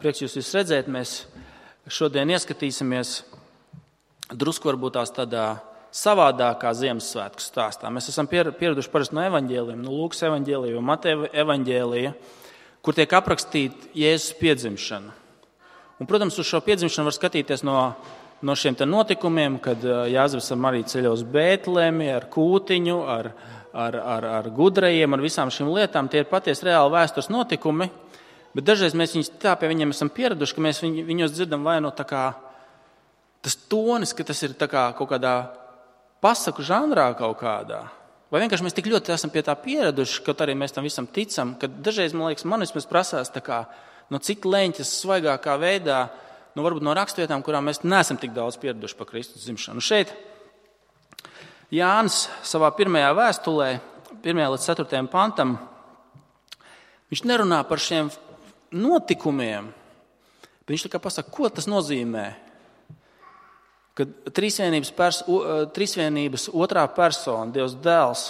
Prieks jūs visus redzēt, mēs šodien ieskatīsimies drusku varbūt tās tādā savādākā Ziemassvētku stāstā. Mēs esam pieraduši parasti no evaņģēlijiem, no Lūkas evaņģēlija vai Mateja evaņģēlija, kur tiek aprakstīta Jēzus piedzimšana. Un, protams, uz šo piedzimšanu var skatīties no šiem notikumiem, kad Jāzeps ar Mariju ceļo uz Bētlemi ar kūtiņu, ar gudrajiem, ar visām šīm lietām. Tie ir patiesi reāli vēstures notikumi, bet dažreiz mēs viņus tā pie viņiem esam pieraduši, ka mēs viņos dzirdam vai no tā kā tas tonis, ka tas ir tā kā kaut kādā pasaku žanrā kaut kādā. Vai vienkārši mēs tik ļoti esam pie tā pieraduši, kaut arī mēs tam visam ticam, ka dažreiz, man liekas, man vismaz prasās tā kā no cik leņķas svaigākā veidā, varbūt no rakstvietām, kurām mēs neesam tik daudz pieraduši par Kristus dzimšanu. Šeit Jānis savā pirmajā vēstulē, 1. līdz 4. pantam, viņš nerunā par šiem notikumiem, bet viņš tā kā pasaka, ko tas nozīmē, kad trīsvienības otrā persona, Dievs dēls,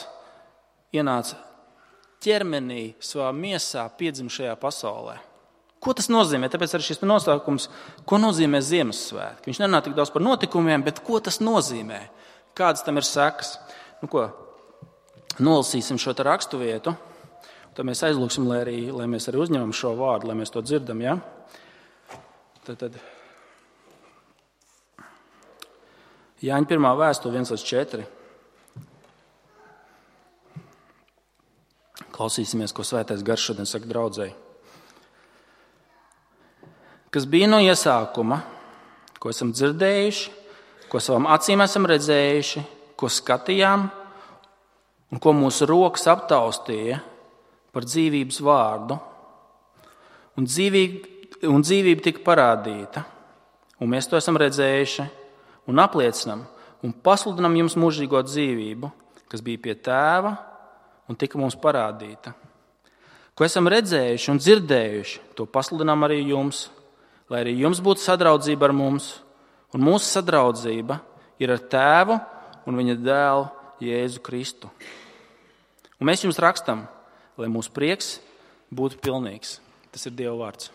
ienāca ķermenī savā miesā piedzim šajā pasaulē. Ko tas nozīmē? Tāpēc arī šis nosaukums, ko nozīmē Ziemassvētki. Viņš nerunā tik daudz par notikumiem, bet ko tas nozīmē? Kādas tam ir sekas? Nolasīsim šo rakstu vietu, tad mēs aizlūksim, lai mēs arī uzņemam šo vārdu, lai mēs to dzirdam. Ja? Tad Jāņa 1. vēstule 1-4. Klausīsimies, ko Svētais Gars šodien saka draudzei. Kas bija no iesākuma, ko esam dzirdējuši, ko savām acīm esam redzējuši, ko skatījām un ko mūsu rokas aptaustīja par dzīvības vārdu. Un dzīvība tika parādīta, un mēs to esam redzējuši un apliecinam un pasludinam jums mūžīgo dzīvību, kas bija pie Tēva un tika mums parādīta. Ko esam redzējuši un dzirdējuši, to pasludinām arī jums, lai arī jums būtu sadraudzība ar mums, un mūsu sadraudzība ir ar Tēvu un viņa dēlu Jēzu Kristu. Un mēs jums rakstam, lai mūsu prieks būtu pilnīgs. Tas ir Dieva vārds.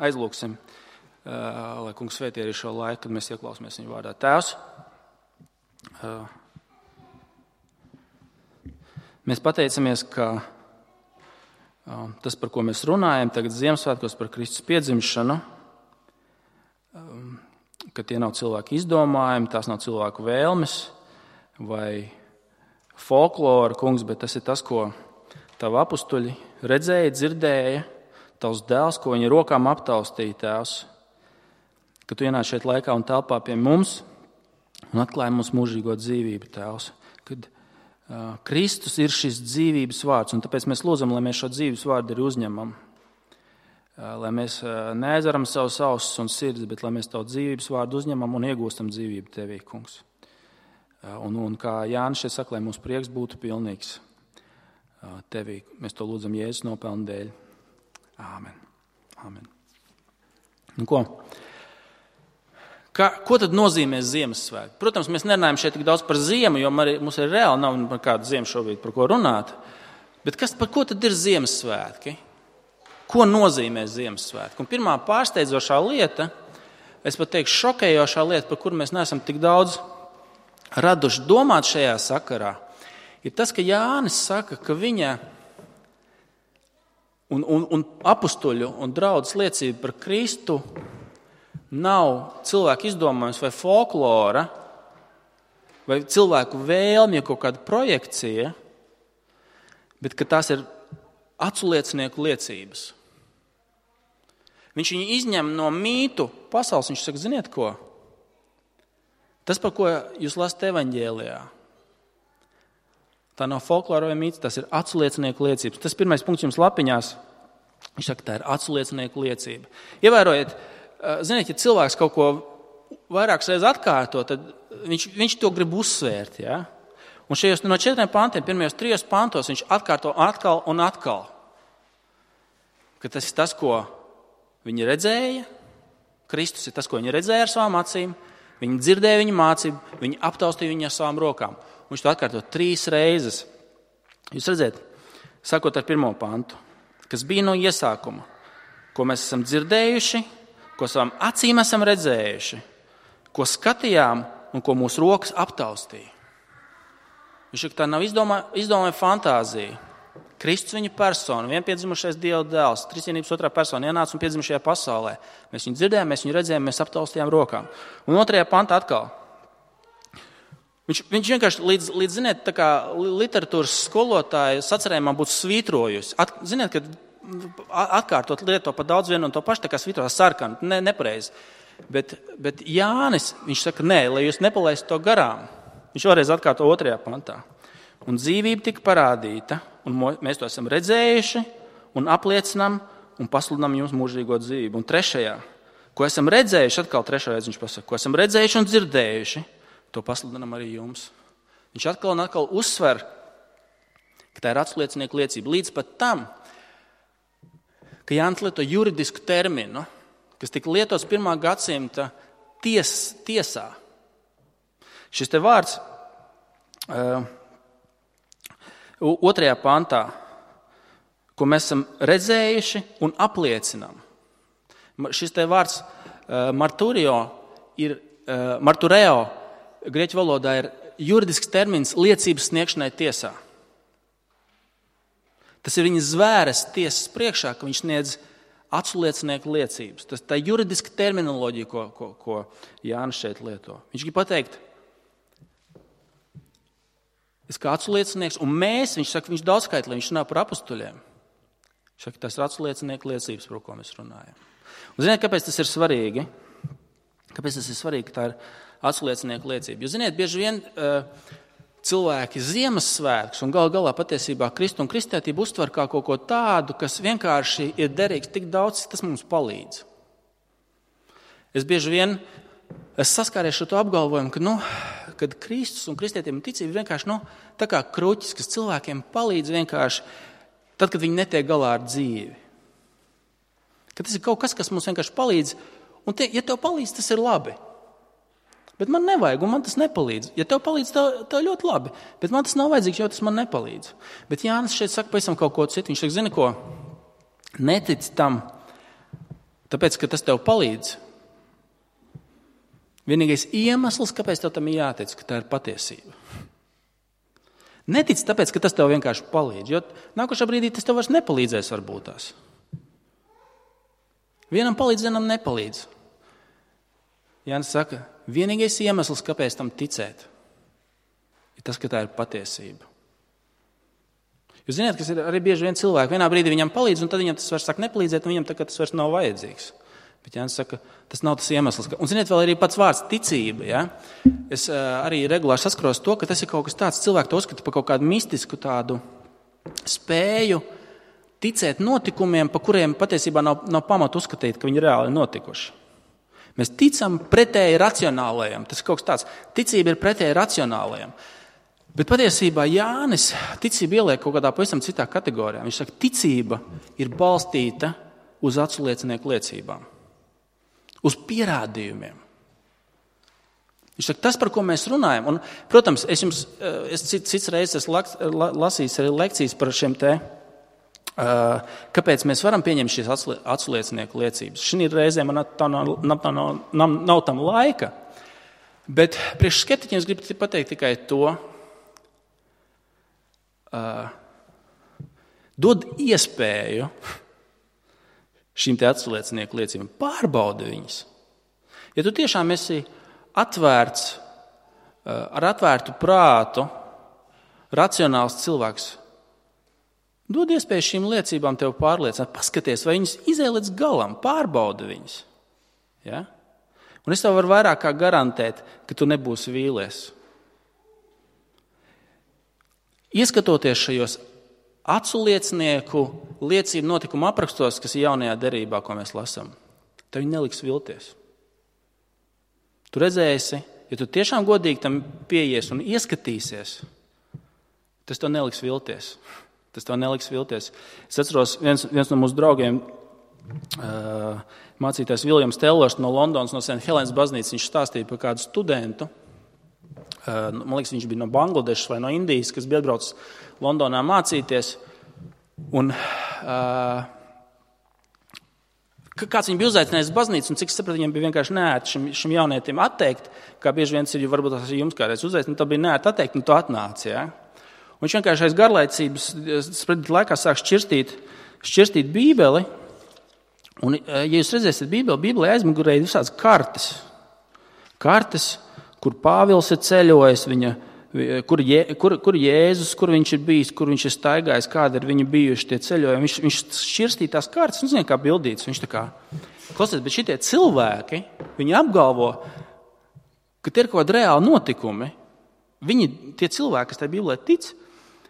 Aizlūksim, lai Kungs svētī arī šo laiku, kad mēs ieklausāmies viņa vārdā. Tēvs, mēs pateicamies, ka tas, par ko mēs runājam, tagad Ziemassvētkos par Kristus piedzimšanu, ka tie nav cilvēku izdomājumi, tās nav cilvēku vēlmes vai folklora, Kungs, bet tas ir tas, ko tavi apustuļi redzēja, dzirdēja, tavs dēls, ko viņi rokām aptaustīja, Tēvs, ka tu ienāc šeit laikā un telpā pie mums un atklāja mums mūžīgo dzīvību, Tēvs, kad Kristus ir šis dzīvības vārds, un tāpēc mēs lūdzam, lai mēs šo dzīvības vārdu arī uzņemam. Lai mēs neaizveram savus ausis un sirdis, bet lai mēs tavu dzīvības vārdu uzņemam un iegūstam dzīvību Tevī, Kungs. Un kā Jānis šeit saka, lai mūsu prieks būtu pilnīgs Tevī. Mēs to lūdzam Jēzus nopelnu dēļ. Āmen. Āmen. Ko tad nozīmē Ziemassvētki? Protams, mēs nerunājam šeit tik daudz par ziemu, jo mums ir reāli nav par kādu ziemu šobrīd, par ko runāt. Bet par ko tad ir Ziemassvētki? Ko nozīmē Ziemassvētki? Un pirmā pārsteidzošā lieta, es pat teikšu šokējošā lieta, par kuru mēs neesam tik daudz raduši domāt šajā sakarā, ir tas, ka Jānis saka, ka viņa un apustuļu un draudzes liecība par Kristu nav cilvēku izdomājums vai folklora, vai cilvēku vēlmja kaut kāda projekcija, bet ka tās ir aculiecinieku liecības. Viņš viņu izņem no mītu pasaules, viņš saka, ziniet ko? Tas, par ko jūs lasat evaņģēlijā, tā nav folklora vai mīts, tas ir aculiecinieku liecības. Tas pirmais punkts jums lapiņās, viņš saka, tā ir aculiecinieku liecība. Ievērojiet, ziniet, ja cilvēks kaut ko vairākas reizes atkārto, tad viņš to grib uzsvērt. Ja? Un šajos no 4 pantiem, pirmajos 3 pantos, viņš atkārto atkal un atkal. Ka tas ir tas, ko viņi redzēja. Kristus ir tas, ko viņi redzēja ar savām acīm. Viņi dzirdēja viņa mācību, viņi aptaustīja viņu ar savām rokām. Viņš to atkārto 3 reizes. Jūs redzēt, sakot ar 1. pantu. kas bija no iesākuma, ko mēs esam dzirdējuši, ko savām acīm esam redzējuši, ko skatījām un ko mūsu rokas aptaustīja. Viņš saka, tā nav izdomāja fantāzija. Kristus viņa persona, vienpiedzimušais Dieva dēls, trīsvienības otrā persona ienāca un piedzima šajā pasaulē. Mēs viņu dzirdējām, mēs viņu redzējām, mēs aptaustījām rokām. Un 2. pantā atkal. Viņš vienkārši līdz ziniet, tā kā literatūras skolotāja sacerējumā būtu svītrojusi. Ziniet, ka atkārtot lieto pa daudz vienu un to pašu, tā kā svītrojā sarkanu, nepareizi. Bet Jānis, viņš saka, nē, lai jūs nepalaistu to garām. Viņš vēlreiz atkārto 2. pantā. Un dzīvība tika parādīta, un mēs to esam redzējuši, un apliecinām, un pasludinām jums mūžīgo dzīvību. Un 3. ko esam redzējuši, atkal 3. reizi viņš pasaka, ko esam redzējuši un dzirdējuši, to pasludinām arī jums. Viņš atkal un atkal uzsver, ka tā ir atsliecinieku liecība. Līdz pat tam, ka Jānis lieto juridisku terminu, kas tika lietots 1. gadsimta tiesā. Šis te vārds 2. pantā, ko mēs esam redzējuši un apliecinām. Šis te vārds martureo grieķu valodā ir juridisks termins liecības sniegšanai tiesā. Tas ir viņa zvēres tiesas priekšā, ka viņš sniedz atsliecinieku liecības. Tā ir juridiska terminoloģija, ko Jānis šeit lieto. Viņš grib pateikt, es kā atsliecinieks, un viņš saka, viņš daudzskaitlī, viņš runā par apustuļiem. Viņš saka, tas ir atsliecinieku liecības, par ko mēs runājam. Un ziniet, kāpēc tas ir svarīgi? Kāpēc tas ir svarīgi, ka tā ir atsliecinieku liecība? Jo, ziniet, bieži vien cilvēki Ziemassvētkus un galā patiesībā Kristu un kristētību uztver kā kaut ko tādu, kas vienkārši ir derīgs tik daudz, tas mums palīdz. Es bieži vien saskāries ar to apgalvojumu, kad Kristus un kristētība un ticība vienkārši tā kā kruķis, kas cilvēkiem palīdz vienkārši tad, kad viņi netiek galā ar dzīvi. Ka tas ir kaut kas, kas mums vienkārši palīdz, un ja tev palīdz, tas ir labi. Bet man nevajag, un man tas nepalīdz. Ja tev palīdz, tev ļoti labi, bet man tas nav vajadzīgs, jo tas man nepalīdz. Bet Jānis šeit saka pavisam kaut ko citu. Viņš saka, zini ko, netic tam, tāpēc, ka tas tev palīdz. Vienīgais iemesls, kāpēc tev tam ir jātic, ka tā ir patiesība. Netic tāpēc, ka tas tev vienkārši palīdz, jo nākošā brīdī tas tev vairs nepalīdzēs varbūt tās. Vienam palīdz, vienam nepalīdz. Jānis saka, vienīgais iemesls, kāpēc tam ticēt, ir tas, ka tā ir patiesība. Jūs zināt, kas ir arī bieži vien cilvēki. Vienā brīdī viņam palīdz, un tad viņam tas vairs sāk nepalīdzēt, un viņam tas vairs nav vajadzīgs. Bet Jānis saka, tas nav tas iemesls. Un ziniet, vēl arī pats vārds ticība. Ja? Es arī regulāri saskaros to, ka tas ir kaut kas tāds, cilvēki to uzskata par kaut kādu mistisku tādu spēju ticēt notikumiem, pa kuriem patiesībā nav pamata uzskatīt, ka viņi reāli ir notikuši. Mēs ticam pretēji racionālajam. Tas ir kaut kas tāds. Ticība ir pretēji racionālajam. Bet patiesībā Jānis ticību ieliek kaut kādā pavisam citā kategorijā. Viņš saka, ticība ir balstīta uz atsliecinieku liecībām. Uz pierādījumiem. Viņš saka, tas, par ko mēs runājam. Un, protams, es cits reizes esmu lasījis arī lekcijas par šiem te, kāpēc mēs varam pieņemt šīs atsliecinieku liecības. Šī reizē man nav tam laika, bet priekš skeptiķiem es gribu pateikt tikai to, dod iespēju šīm te atsliecinieku liecībām, pārbaudi viņas. Ja tu tiešām esi atvērts, ar atvērtu prātu, racionāls cilvēks, dod iespēju šīm liecībām tev pārliecināt, paskaties, vai viņas izēj līdz galam, pārbaudi viņas. Ja? Un es tev varu vairāk kā garantēt, ka tu nebūsi vīlies. Ieskatoties šajos atsliecinieku liecību notikumu aprakstos, kas ir jaunajā derībā, ko mēs lasām, tev viņi neliks vilties. Tu redzēsi, ja tu tiešām godīgi tam pieies un ieskatīsies, tas tev neliks vilties. Tas tev neliks vilties. Es atceros, viens no mūsu draugiem, mācītājs Viljams Tellers no Londonas, no St. Helēnas baznīcas, viņš stāstīja par kādu studentu. Man liekas, viņš bija no Bangladešas vai no Indijas, kas bija atbraucis Londonā mācīties. Un kāds viņu bija uzaicinājis uz baznīcu, un cik es sapratu, viņam bija vienkārši neērti šim jaunietim atteikt, kā bieži viens ir, jo varbūt tas jums kādreiz uzaicinājis, tā bija neērti atteikt, un tu atnāci. Ja? Un viņš vienkārši aiz garlaicības laikā sāk šķirstīt Bībeli, un, ja jūs redzēsiet Bībelē aizmugurē ir visādas kartes, kur Pāvils ir ceļojis, kur Jēzus, kur viņš ir bijis, kur viņš ir staigājis, kādi ir viņi bijuši tie ceļojumi. Viņš šķirstīja tās kartes, un zina, kā bildīts. Viņš tā kā, klausies, bet šitie cilvēki, viņi apgalvo, ka tie ir kaut kādi reāli notikumi. Tie cilvēki, kas tajā Bībelē tic,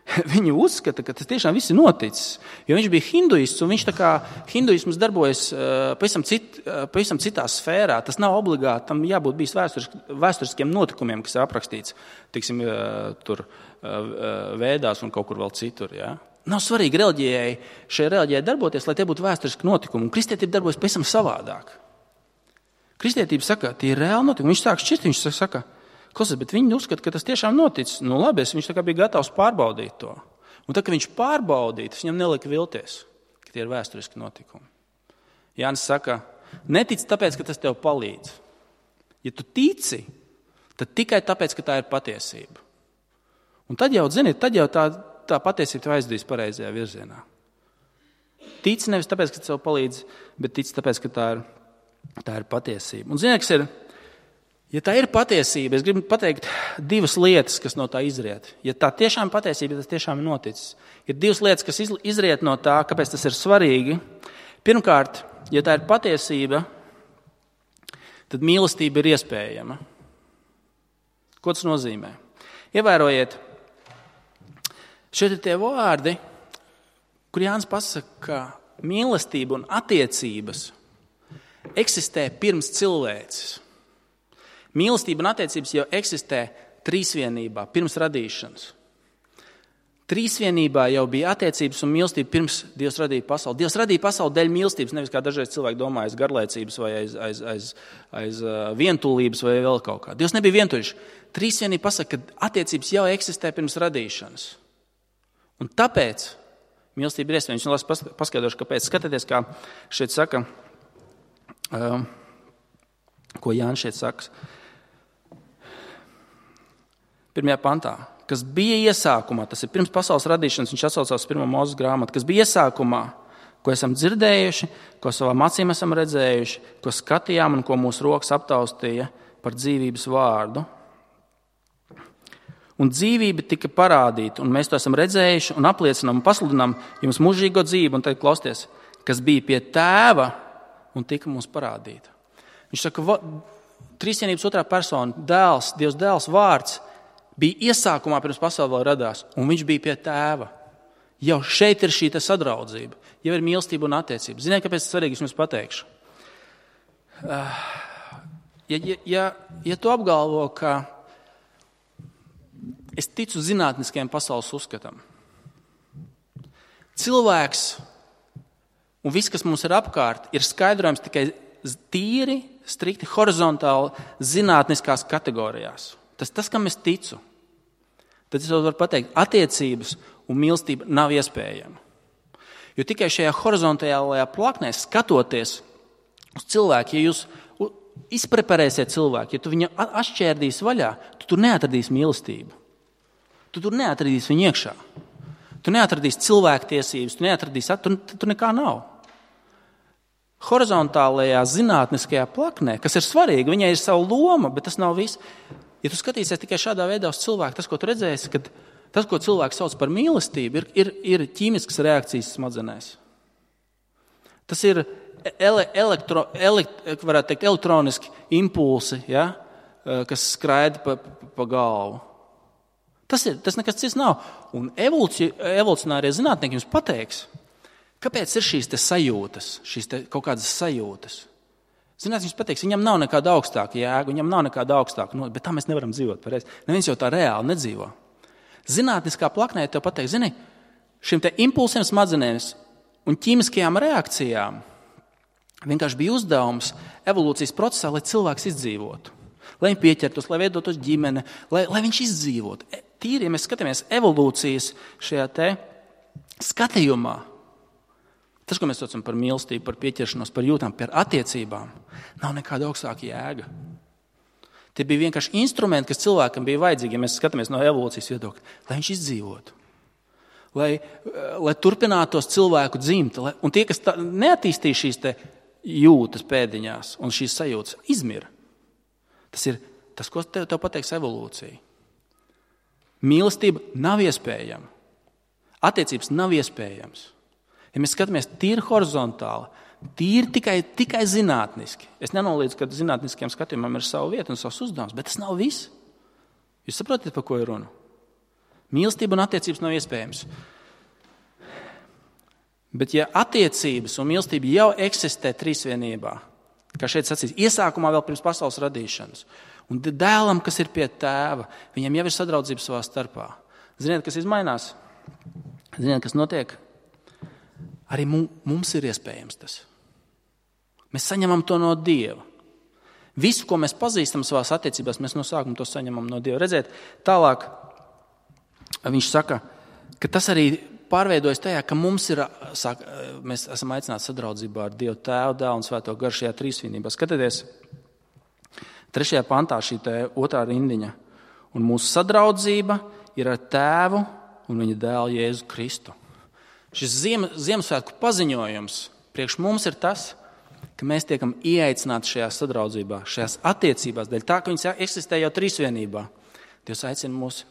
viņi uzskata, ka tas tiešām viss ir noticis. Jo viņš bija hinduists, un viņš tā kā hinduisms darbojas pavisam citā sfērā. Tas nav obligāti, tam jābūt bijis vēsturiskiem notikumiem, kas ir aprakstīts, tiksim, tur Vēdās un kaut kur vēl citur. Ja? Nav svarīgi šai reliģijai darboties, lai tie būtu vēsturiski notikumi. Un kristietība darbojas pavisam savādāk. Kristietība saka, tie ir reāli notikumi. Viņš sāk šķirt, viņš saka, klausies, bet viņi uzskata, ka tas tiešām noticis. Nu labi, viņš tā kā bija gatavs pārbaudīt to. Un tā, ka viņš pārbaudīja, tas viņam nelika vilties, ka tie ir vēsturiski notikumi. Jānis saka, netic tāpēc, ka tas tev palīdz. Ja tu tici, tad tikai tāpēc, ka tā ir patiesība. Un tad jau, zini, tā patiesība tev aizdīs pareizajā virzienā. Tici nevis tāpēc, ka tev palīdz, bet tici tāpēc, ka tā ir patiesība. Un zini, kas ir? Ja tā ir patiesība, es gribu pateikt divas lietas, kas no tā izriet. Ja tā tiešām ir patiesība, tas tiešām ir noticis. Ir divas lietas, kas izriet no tā, kāpēc tas ir svarīgi. Pirmkārt, ja tā ir patiesība, tad mīlestība ir iespējama. Ko tas nozīmē? Ievērojiet, šeit ir tie vārdi, kur Jānis pasaka, ka mīlestība un attiecības eksistē pirms cilvēces. Mīlestība un attiecības jau eksistē trīsvienībā, pirms radīšanas. Trīsvienībā jau bija attiecības un mīlestība pirms Dievs radīja pasauli. Dievs radīja pasauli dēļ mīlestības, nevis kā dažreiz cilvēki domā aiz garlaicības vai aiz vientulības vai vēl kaut kā. Dievs nebija vientuļš. Trīsvienība pasaka, ka attiecības jau eksistē pirms radīšanas. Un tāpēc mīlestība ir iespējama. Es paskaidrošu, kāpēc. Skatieties, kā šeit saka, ko Jānis šeit saka. 1. pantā, kas bija iesākumā, tas ir pirms pasaules radīšanas, viņš atsaucās 1. Mūzes grāmatu, kas bija iesākumā, ko esam dzirdējuši, ko savām acīm esam redzējuši, ko skatījām un ko mūsu rokas aptaustīja par dzīvības vārdu. Un dzīvība tika parādīta, un mēs to esam redzējuši un apliecinām un pasludinām jums mūžīgo dzīvi, un tad klausieties, kas bija pie tēva un tika mums parādīta. Viņš saka, trīsvienības otrā persona, dēls, Dievs dēls vārds, bija iesākumā pirms pasaule vēl radās, un viņš bija pie tēva. Jau šeit ir šī sadraudzība, jau ir mīlestība un attiecība. Ziniet, kāpēc tas svarīgi, es jums pateikšu? Ja tu apgalvo, ka es ticu zinātniskajam pasaules uzskatam, cilvēks un viss, kas mums ir apkārt, ir skaidrojams tikai tīri, strikti, horizontāli zinātniskās kategorijās. Tas, kam es ticu, tad es varu pateikt, attiecības un mīlestība nav iespējama. Jo tikai šajā horizontālajā plaknē skatoties uz cilvēku, ja jūs izpreparēsiet cilvēku, ja tu viņu atšķērdīsi vaļā, tu tur neatradīsi mīlestību. Tu tur neatradīsi viņu iekšā. Tu neatradīsi cilvēktiesības, tur nekā nav. Horizontālajā zinātniskajā plaknē, kas ir svarīga, viņai ir sava loma, bet tas nav viss. Ja tu skatīsies tikai šādā veidā uz cilvēku, tas, ko tu redzēsi, kad tas, ko cilvēks sauc par mīlestību, ir ķīmiskas reakcijas smadzenēs. Tas ir elektroniski impulsi, ja, kas skraida pa galvu. Tas nekas cits nav. Un evolucionārie zinātnieki jums pateiks, kāpēc ir šīs sajūtas, kaut kādas sajūtas. Zinātnieks jums pateiks, viņam nav nekāda augstāka jēga, viņam nav nekāda augstāka, bet tā mēs nevaram dzīvot pareizi. Neviens jau tā reāli nedzīvo. Zinātniskā plaknē tev pateiks, zini, šim te impulsiem smadzenēs un ķīmiskajām reakcijām vienkārši bija uzdevums evolūcijas procesā, lai cilvēks izdzīvotu. Lai viņi pieķertos, lai veidotos ģimene, lai viņš izdzīvotu. Tīri, ja mēs skatāmies evolūcijas šajā te skatījumā, Tas, ko mēs saucam par mīlestību, par pieķeršanos, par jūtām, par attiecībām, nav nekāda augstāka jēga. Tie bija vienkārši instrumenti, kas cilvēkam bija vajadzīgi, ja mēs skatāmies no evolūcijas viedokļa, lai viņš izdzīvotu. Lai turpinātos cilvēku dzimt. Un tie, kas neattīstīja šīs te jūtas pēdiņās un šīs sajūtas, izmira. Tas ir tas, ko tev pateiks evolūcija. Mīlestība nav iespējama. Attiecības nav iespējams. Ja mēs skatāmies tīri horizontāli, tīri tikai zinātniski. Es nenoliedzu, ka zinātniskiem skatījumam ir sava vieta un savs uzdevums, bet tas nav viss. Jūs saprotat, par ko ir runa? Mīlestība un attiecības nav iespējams. Bet ja attiecības un mīlestība jau eksistē trīsvienībā, kā šeit sacīs, iesākumā vēl pirms pasaules radīšanas, un dēlam, kas ir pie tēva, viņam jau ir sadraudzība savā starpā. Ziniet, kas izmainās? Ziniet, kas notiek? Arī mums ir iespējams tas. Mēs saņemam to no Dieva. Visu, ko mēs pazīstam savās attiecībās, mēs no sākuma to saņemam no Dieva. Redziet, tālāk viņš saka, ka tas arī pārveidojas tajā, ka mēs esam aicināti sadraudzībā ar Dievu Tēvu, Dēlu un Svēto Garu šajā trīsvienībā. Skatieties, 3. pantā šī 2. rindiņa. Un mūsu sadraudzība ir ar Tēvu un viņa Dēlu Jēzu Kristu. Šis Ziemassvētku paziņojums priekš mums ir tas, ka mēs tiekam ieaicināti šajā sadraudzībā, šajās attiecībās, dēļ tā, ka viņas eksistē jau trīsvienībā. Dievs aicina mūs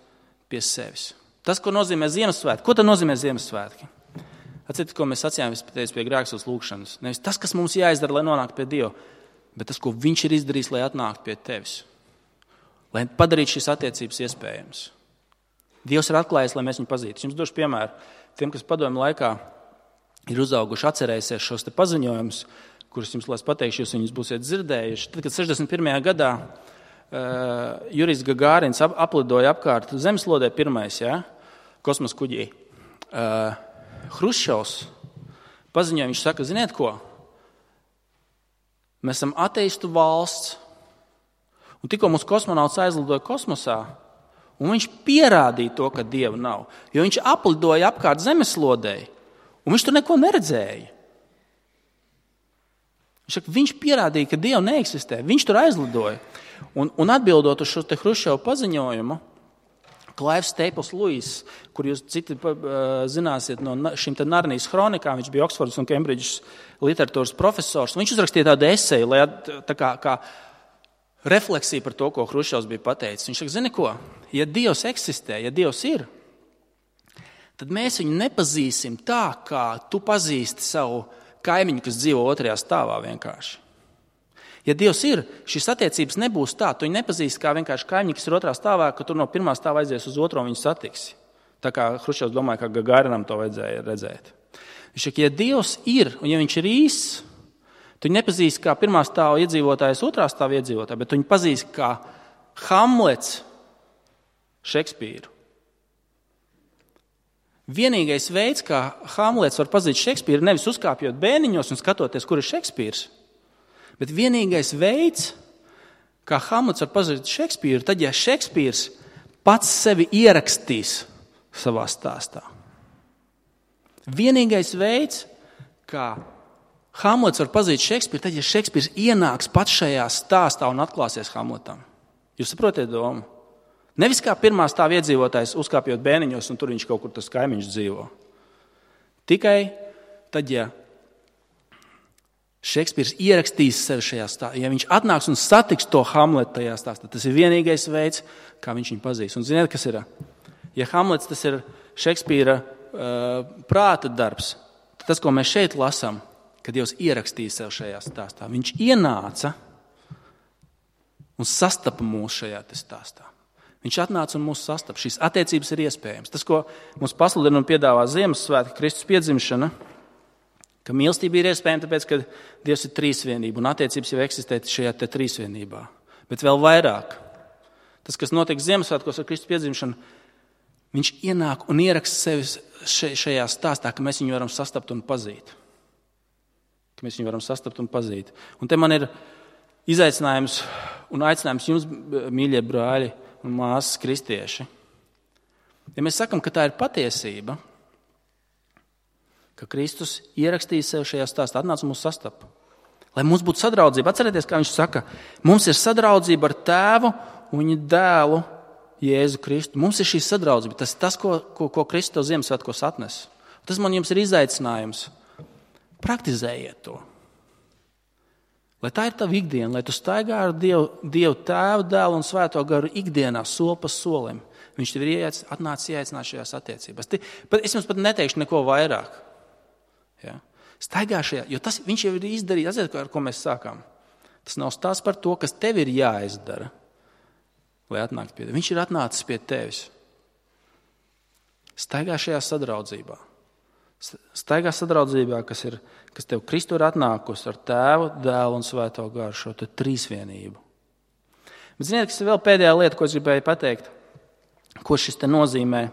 pie sevis. Tas, ko nozīmē Ziemassvētki. Ko tad nozīmē Ziemassvētki? Atcerieties, ko mēs sacījām pie grēksūs lūkšanas. Nevis tas, kas mums jāizdara, lai nonāktu pie Dieva, bet tas, ko Viņš ir izdarījis, lai atnāktu pie tevis. Lai padarītu šīs attiecības iespējams. Dievs ir atklājis, lai mēs viņu pazītu. Jums došu piemēru. Tiem, kas padomju laikā ir uzauguši, atcerēsies šos te paziņojumus, kurus jums, lai es pateikšu, jūs viņus būsiet dzirdējuši. Tad, kad 61. gadā Jurijs Gagārins aplidoja apkārt zemeslodē pirmais, kosmosa kuģī, Hruščovs paziņoja, viņš saka, ziniet ko? Mēs esam ateistu valsts, un tikko mūsu kosmonauts aizlidoja kosmosā, un viņš pierādīja to, ka Dieva nav. Jo viņš aplidoja apkārt zemeslodei, un viņš tur neko neredzēja. Viņš pierādīja, ka Dieva neeksistē. Viņš tur aizlidoja. Un atbildot uz šo te Hruščova paziņojumu, Klaivs Staples Lewis, kur jūs citi zināsiet no šīm te Narnijas hronikām, viņš bija Oksfordas un Kembridžas literatūras profesors, viņš uzrakstīja tādu eseju, lai tā kā refleksija par to, ko Hruščovs bija pateicis. Viņš saka, zini ko, ja Dievs eksistē, ja Dievs ir, tad mēs viņu nepazīsim tā, kā tu pazīsti savu kaimiņu, kas dzīvo otrajā stāvā vienkārši. Ja Dievs ir, šīs attiecības nebūs tā, tu viņu nepazīsti kā vienkārši kaimiņu, kas ir otrā stāvā, ka tu no pirmā stāva aizies uz otro un viņu satiksi. Tā kā Hruščovs domāja, ka Gagarinam to vajadzēja redzēt. Viņš saka, ja Dievs ir, un ja viņš ir īsts, tu viņu nepazīsti kā pirmā stāva iedzīvotājs, otrā stāva iedzīvotāju, bet tu viņu pazīsti kā Hamlets Šekspīru. Vienīgais veids, kā Hamlets var pazīt Šekspīru, nevis uzkāpjot bēniņos un skatoties, kur ir Šekspīrs, bet vienīgais veids, kā Hamlets var pazīt Šekspīru, tad, ja Šekspīrs pats sevi ierakstīs savā stāstā. Vienīgais veids, kā Hamlets var pazīt Šekspīru, tad, ja Šekspīrs ienāks pats šajā stāstā un atklāsies Hamletam. Jūs saprotiet domu? Nevis kā pirmā stāva iedzīvotājs uzkāpjot bēniņos un tur viņš kaut kur tas kaimiņš dzīvo. Tikai tad, ja Šekspīrs ierakstīs sevi šajā stāstā, ja viņš atnāks un satiks to Hamletu tajā stāstā, tas ir vienīgais veids, kā viņš viņu pazīs. Un ziniet, kas ir? Ja Hamlets tas ir Šekspīra prāta darbs, tad tas, ko mēs šeit lasām, kad Dievs ierakstīja sev šajā stāstā. Viņš ienāca un sastapa mūs šajā stāstā. Viņš atnāca un mūs sastapa. Šīs attiecības ir iespējams. Tas, ko mums pasludina un piedāvā Ziemassvētki, Kristus piedzimšana, ka mīlestība ir iespējama, tāpēc, ka Dievs ir trīsvienība un attiecības jau eksistē šajā trīsvienībā. Bet vēl vairāk. Tas, kas notiek Ziemassvētkos ar Kristus piedzimšanu, viņš ienāk un ieraksta sevi šajā stāstā, ka mēs viņu varam sastapt un pazīt. Mēs viņu varam sastapt un pazīt. Un te man ir izaicinājums un aicinājums jums, mīļie brāļi un māsas kristieši. Ja mēs sakam, ka tā ir patiesība, ka Kristus ierakstīja sev šajā stāstā, atnāca mūsu sastapu. Lai mums būtu sadraudzība. Atcerieties, kā viņš saka, mums ir sadraudzība ar Tēvu un viņa dēlu Jēzu Kristu. Mums ir šī sadraudzība. Tas ir tas, ko Kristus Ziemassvētkos atnes. Tas man jums ir izaicinājums. Praktizējiet to. Lai tā ir tava ikdiena, lai tu staigā ar Dievu Tēvu, Dēlu un Svēto Garu ikdienā, soli pa solim. Viņš tev ir atnācis ieaicināt šajās attiecībās. Es jums pat neteikšu neko vairāk. Ja? Staigā šajā, jo viņš jau ir izdarījis, atcerieties, ar ko mēs sākām. Tas nav stāsts par to, kas tev ir jāizdara, lai atnāktu pie tevis. Viņš ir atnācis pie tevis. Staigā šajā sadraudzībā. Staigā sadraudzībā, kas tev Kristu ir atnākusi ar Tēvu, Dēlu un Svēto Garu, šo te trīsvienību. Bet ziniet, kas ir vēl pēdējā lieta, ko es gribēju pateikt, ko šis te nozīmē.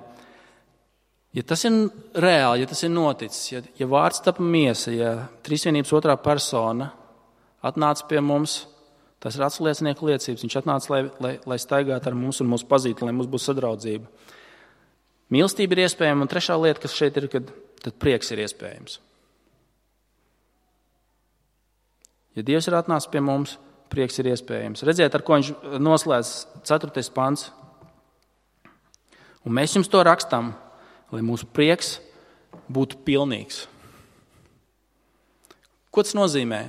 Ja tas ir reāli, ja tas ir noticis, ja vārds tapa miesa, ja trīsvienības otrā persona atnāca pie mums, tas ir atsliecinieku liecības. Viņš atnāca, lai staigātu ar mums un mūs pazītu, lai mums būtu sadraudzība. Mīlestība ir iespējama, un trešā lieta, kas šeit ir, tad prieks ir iespējams. Ja Dievs ir atnācis pie mums, prieks ir iespējams. Redziet, ar ko viņš noslēdz 4. pants. Un mēs jums to rakstām, lai mūsu prieks būtu pilnīgs. Ko tas nozīmē?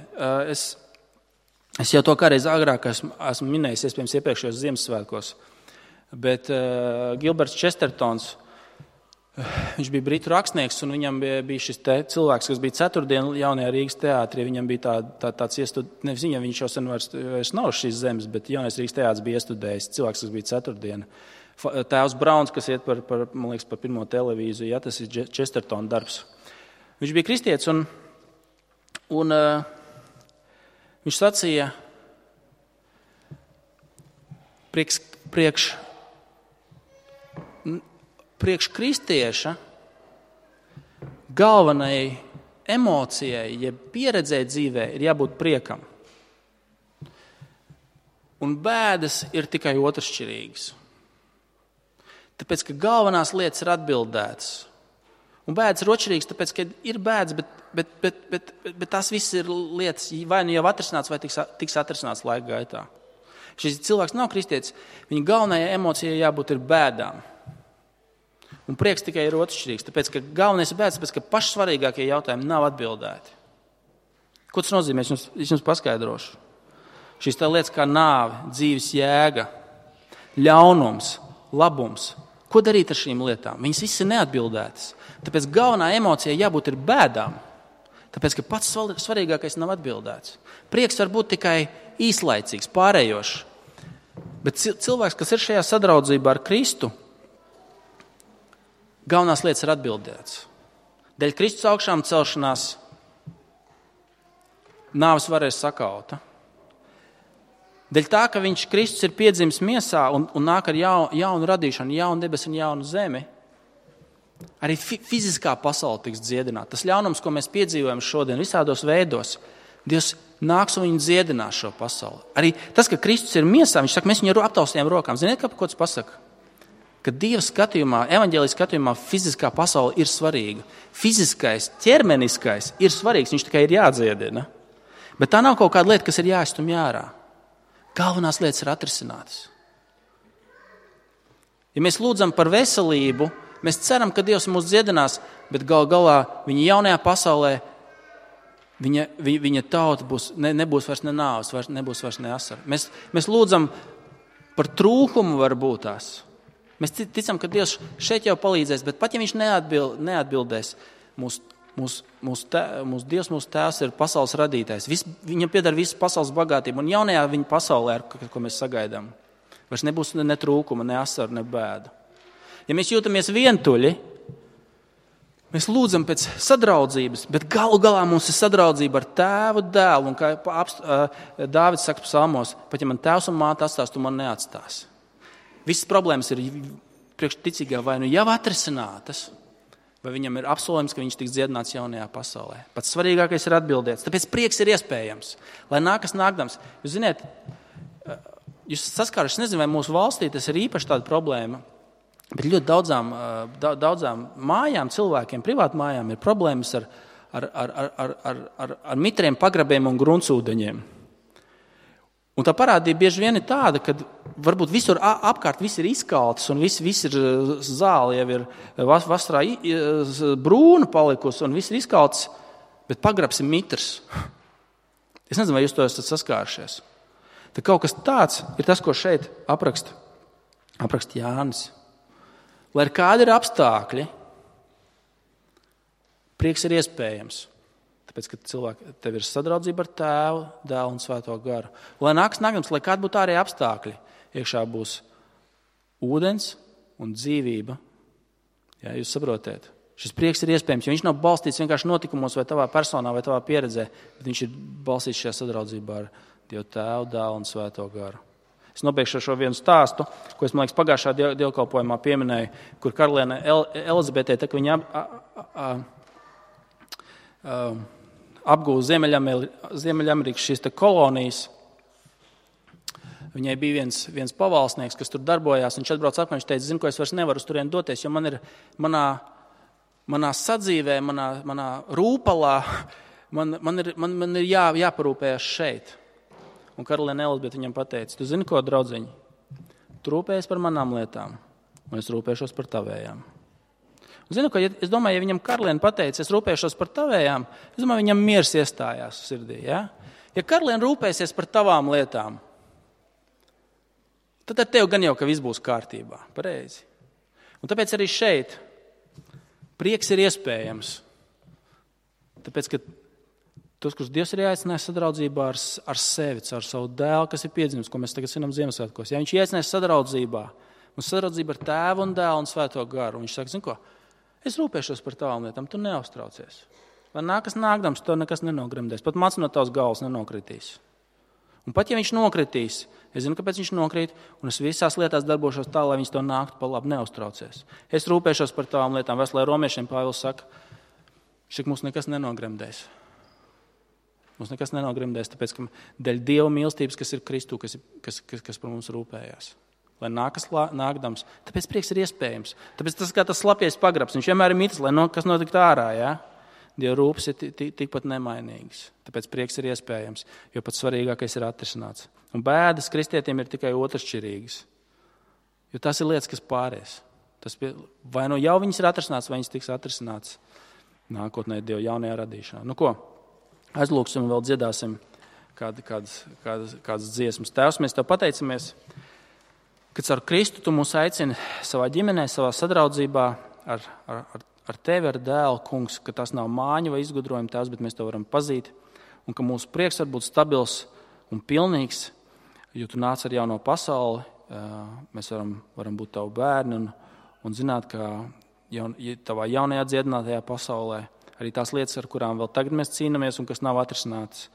Es jau to kādreiz agrāk esmu minējis, iespējams, iepriekšējos Ziemassvētkos, bet Gilberts Chestertons, viņš bija britu rakstnieks, un viņam bija šis cilvēks, kas bija ceturtdien jaunajā Rīgas teātrī. Viņam bija tāds nevis viņam, viņš jau sen vairs nav šīs zemes, bet jaunais Rīgas teātris bija iestudējis cilvēks, kas bija ceturtdien. Tēvs Brauns, kas iet par pirmo televīziju, ja, tas ir Chestertona darbs. Viņš bija kristietis, un viņš sacīja, priekš kristieša galvenai emocijai, ja pieredzēji dzīvē, ir jābūt priekam. Un bēdas ir tikai otršķirīgas. Tāpēc, ka galvenās lietas ir atbildētas. Un bēdas ir otršķirīgas, tāpēc, ka ir bēdas, bet tās viss ir lietas, vai nu jau atrisināts, vai tiks atrisināts laika gaitā. Šis cilvēks nav kristietis, viņa galvenajai emocijai jābūt ir bēdām. Un prieks tikai ir otršķirīgs, tāpēc, ka galvenais ir bēdas, tāpēc, ka pašsvarīgākie jautājumi nav atbildēti. Ko tas nozīmē? Es jums paskaidrošu. Šīs tā lietas kā nāve, dzīves jēga, ļaunums, labums. Ko darīt ar šīm lietām? Viņas visas ir neatbildētas. Tāpēc galvenā emocija jābūt ir bēdām. Tāpēc, ka pats svarīgākais nav atbildēts. Prieks var būt tikai īslaicīgs, pārējošs. Bet cilvēks, kas ir šajā sadraudzībā ar Kristu, galvenās lietas ir atbildētas. Dēļ Kristus augšām celšanās nāves vara ir sakauta. Dēļ tā, ka Kristus ir piedzimis miesā un nāk ar jaunu radīšanu, jaunu debesu un jaunu zemi, arī fiziskā pasaule tiks dziedināta. Tas ļaunums, ko mēs piedzīvojam šodien visādos veidos, Dievs nāks un viņu dziedinās šo pasauli. Arī tas, ka Kristus ir miesā, viņš saka, mēs viņu aptaustījām rokām. Ziniet, ko tas pasaka? Ka Dieva skatījumā, evaņģēlijas skatījumā fiziskā pasaule ir svarīga. Fiziskais, ķermeniskais ir svarīgs, viņš tikai ir jādziedina. Bet tā nav kaut kāda lieta, kas ir jāizstumj ārā. Galvenās lietas ir atrisinātas. Ja mēs lūdzam par veselību, mēs ceram, ka Dievs mūs dziedinās, bet galā viņa jaunajā pasaulē, viņa tauta nebūs vairs ne nāves, nebūs vairs ne asara. Mēs lūdzam par trūkumu varbūt tās. Mēs ticam, ka Dievs šeit jau palīdzēs, bet pat ja viņš neatbildēs, mūsu Dievs, mūsu Tēvs ir pasaules radītājs. Viņam pieder visas pasaules bagātība. Un jaunajā viņa pasaulē, ko mēs sagaidām, vairs nebūs ne trūkuma, ne asaru, ne bēdu. Ja mēs jūtamies vientuļi, mēs lūdzam pēc sadraudzības, bet galu galā mums ir sadraudzība ar Tēvu, Dēlu. Un kā Dāvids saka psalmos, pat ja man tēvs un māte atstās, tu man neatstāsi. Visas problēmas ir priekšticīgā vai nu jau atrisinātas, vai viņam ir apsolījums, ka viņš tiks dziedināts jaunajā pasaulē. Pats svarīgākais ir atbildēts. Tāpēc prieks ir iespējams, lai nākas nākdams. Jūs ziniet, jūs saskāruši, nezinu, vai mūsu valstī tas ir īpaši tāda problēma. Bet ļoti daudzām mājām, cilvēkiem, privātu mājām ir problēmas ar mitriem pagrabiem un gruntsūdeņiem. Un tā parādība bieži vien ir tāda, ka varbūt visur apkārt viss ir izkalts un viss ir zāle, jau ir vasarā brūna palikusi un viss ir izkalts, bet pagrabs ir mitrs. Es nezinu, vai jūs to esat saskārušies. Tad kaut kas tāds ir tas, ko šeit apraksta Jānis. Lai ir kādi ir apstākļi, prieks ir iespējams. Tāpēc, ka tev ir sadraudzība ar Tēvu, Dēlu un Svēto garu. Lai nāks nākams, lai kādi būtu ārēji apstākļi, iekšā būs ūdens un dzīvība. Jā, jūs saprotiet? Šis prieks ir iespējams, jo viņš nav balstīts vienkārši notikumos vai tavā personā vai tavā pieredzē, bet viņš ir balstīts šajā sadraudzībā ar Dievu Tēvu, Dēlu un Svēto garu. Es nobeigšu ar šo vienu stāstu, ko es, man liekas, pagājušā dievkalpojumā pieminēju, kur karaliene Elizabetē, tā, ka viņa apgūva Ziemeļamerikas šīs kolonijas. Viņai bija viens pavalsnieks, kas tur darbojās. Viņš atbrauc apkārt, viņš teica, zinu, ko es vairs nevaru uz turien doties, jo man ir manā sadzīvē, manā rūpalā, man ir jāparūpējas šeit. Un karaliene Elizabete viņam pateica, tu zini ko, draudziņi, tu rūpējies par manām lietām, un es rūpēšos par tavējām. Un zinu, ka, es domāju, ja viņam karaliene pateica, es rūpēšos par tavējām, es domāju, viņam miers iestājās sirdī. Ja, ja karaliene rūpēsies par tavām lietām, tad ar tevi gan jau, ka viss būs kārtībā. Pareizi. Un tāpēc arī šeit prieks ir iespējams. Tāpēc, ka tos, kurus Dievs ir ieaicinājis sadraudzībā ar sevi, ar savu dēlu, kas ir piedzimis, ko mēs tagad svinam Ziemassvētkos. Ja viņš ieaicinājis sadraudzībā, un sadraudzība ar Tēvu un Dēlu un Svēto garu, un viņš saka, zini ko, es rūpēšos par tavām lietām, tu neuztraucies. Lai nākas nākdams, to nekas nenogremdēs. Pat mats no tavas galvas nenokritīs. Un pat ja viņš nokritīs, es zinu, kāpēc viņš nokrīt, un es visās lietās darbošos tā, lai viņš to nāktu pa labi, neuztraucies. Es rūpēšos par tavām lietām. Veselē romiešiem Pāvils saka, šik mums nekas nenogremdēs. Mums nekas nenogremdēs, tāpēc, ka dēļ Dieva mīlestības, kas ir Kristū, kas par mums rūpējās. Lai nākas nākdams. Tāpēc prieks ir iespējams. Tāpēc tas kā tas slapies pagrabs. Viņš vienmēr ir mitrs, lai kas notikt ārā. Ja? Dieva rūpes ir tikpat nemainīgas. Tāpēc prieks ir iespējams, jo pats svarīgākais ir atrisināts. Un bēdas kristietiem ir tikai otršķirīgas. Jo tas ir lietas, kas pāries. Vai nu jau viņas ir atrisināts, vai viņas tiks atrisināts nākotnē Dieva jaunajā radīšanā. Nu ko? Aizlūksim un vēl dziedāsim kādas dziesmas. Tēvs, mēs tev pateicamies, ka caur Kristu tu mūs aicini savā ģimenē, savā sadraudzībā ar tevi, ar dēlu, kungs, ka tas nav māņa vai izgudrojuma tēvs, bet mēs to varam pazīt, un ka mūsu prieks var būt stabils un pilnīgs, jo tu nāc ar jauno pasauli, mēs varam būt tavu bērni un zināt, ka tavā jaunajā dziedinātajā pasaulē arī tās lietas, ar kurām vēl tagad mēs cīnāmies un kas nav atrisināts,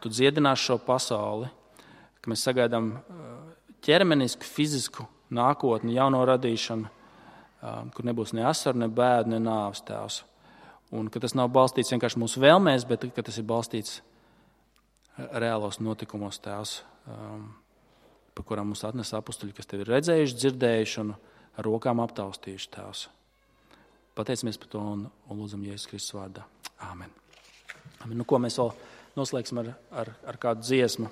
tu dziedināsi šo pasauli, ka mēs sagaidām ķermenisku, fizisku nākotni, jauno radīšanu, kur nebūs ne asaru, ne bēdu, ne nāves tēvs. Un ka tas nav balstīts vienkārši mūsu vēlmēs, bet ka tas ir balstīts reālos notikumos tēvs, par kurām mums atnes apustuļi, kas tevi ir redzējuši, dzirdējuši un ar rokām aptaustījuši tēvs. Pateicamies par to un lūdzam Jēzus Kristus vārdā. Āmen. Nu, ko mēs vēl noslēgsim ar kādu dziesmu.